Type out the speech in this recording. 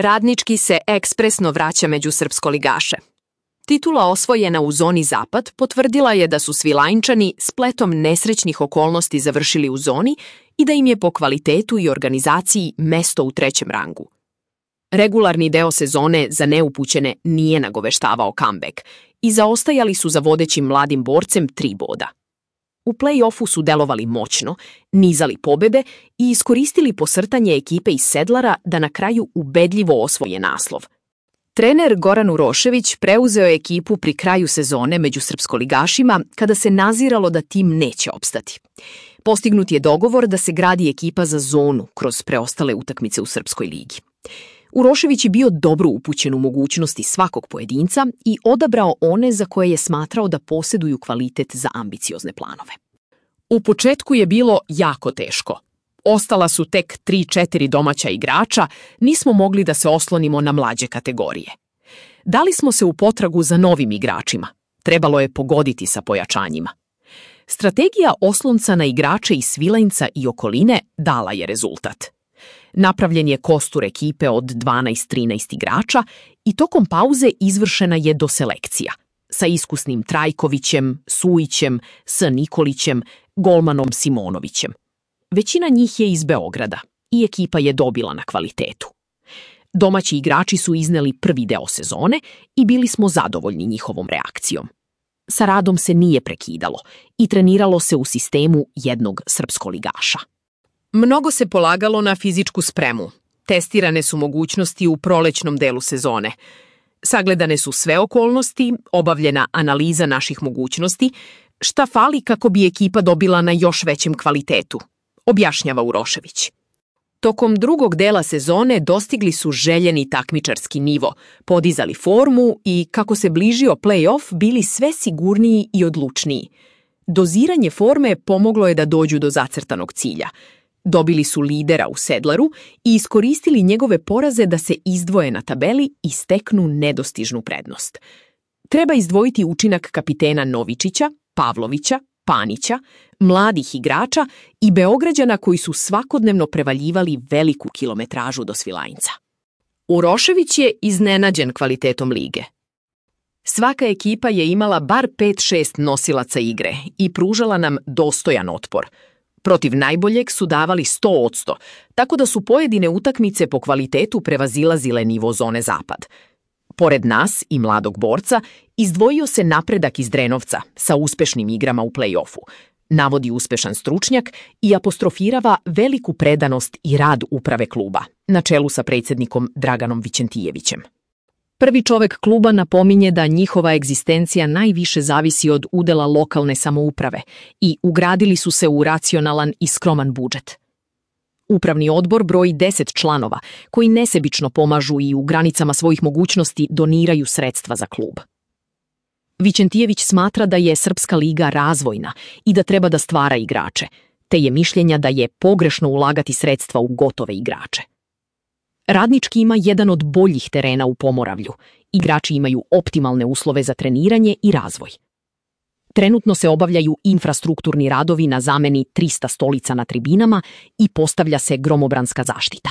Radnički se ekspresno vraća među srpskoligaše. Titula osvojena u zoni Zapad potvrdila je da su Svilajnčani spletom nesrećnih okolnosti završili u zoni i da im je po kvalitetu i organizaciji mesto u 3. rangu. Regularni deo sezone za neupućene nije nagoveštavao comeback i zaostajali su za vodećim mladim borcem 3 boda. U play-offu su delovali moćno, nizali pobede i iskoristili posrtanje ekipe iz Sedlara da na kraju ubedljivo osvoje naslov. Trener Goran Urošević preuzeo je ekipu pri kraju sezone među srpskoligašima kada se naziralo da tim neće opstati. Postignut je dogovor da se gradi ekipa za zonu kroz preostale utakmice u Srpskoj ligi. Urošević je bio dobro upućen u mogućnosti svakog pojedinca i odabrao one za koje je smatrao da posjeduju kvalitet za ambiciozne planove. U početku je bilo jako teško. Ostala su tek 3-4 domaća igrača, nismo mogli da se oslonimo na mlađe kategorije. Dali smo se u potragu za novim igračima. Trebalo je pogoditi sa pojačanjima. Strategija oslonca na igrače iz Svilajnca i okoline dala je rezultat. Napravljen je kostur ekipe od 12-13 igrača i tokom pauze izvršena je doselekcija sa iskusnim Trajkovićem, Sujićem, S. Nikolićem, golmanom Simonovićem. Većina njih je iz Beograda i ekipa je dobila na kvalitetu. Domaći igrači su izneli prvi deo sezone i bili smo zadovoljni njihovom reakcijom. Sa radom se nije prekidalo i treniralo se u sistemu jednog srpskoligaša. Mnogo se polagalo na fizičku spremu. Testirane su mogućnosti u prolećnom delu sezone. Sagledane su sve okolnosti, obavljena analiza naših mogućnosti, šta fali kako bi ekipa dobila na još većem kvalitetu, objašnjava Urošević. Tokom drugog dela sezone dostigli su željeni takmičarski nivo, podizali formu i, kako se bližio play-off, bili sve sigurniji i odlučniji. Doziranje forme pomoglo je da dođu do zacrtanog cilja. Dobili su lidera u Sedlaru i iskoristili njegove poraze da se izdvoje na tabeli i steknu nedostižnu prednost. Treba izdvojiti učinak kapitena Novičića, Pavlovića, Panića, mladih igrača i Beograđana koji su svakodnevno prevaljivali veliku kilometražu do Svilajnca. Urošević je iznenađen kvalitetom lige. Svaka ekipa je imala bar 5-6 nosilaca igre i pružala nam dostojan otpor. Protiv najboljeg su davali 100%, tako da su pojedine utakmice po kvalitetu prevazilazile nivo zone Zapad. Pored nas i mladog borca, izdvojio se napredak iz Drenovca sa uspešnim igrama u play-offu, navodi uspešan stručnjak i apostrofirava veliku predanost i rad uprave kluba, na čelu sa predsjednikom Draganom Vićentijevićem. Prvi čovek kluba napominje da njihova egzistencija najviše zavisi od udela lokalne samouprave i ugradili su se u racionalan i skroman budžet. Upravni odbor broji 10 članova koji nesebično pomažu i u granicama svojih mogućnosti doniraju sredstva za klub. Vićentijević smatra da je Srpska liga razvojna i da treba da stvara igrače, te je mišljenja da je pogrešno ulagati sredstva u gotove igrače. Radnički ima jedan od boljih terena u Pomoravlju. Igrači imaju optimalne uslove za treniranje i razvoj. Trenutno se obavljaju infrastrukturni radovi na zameni 300 stolica na tribinama i postavlja se gromobranska zaštita.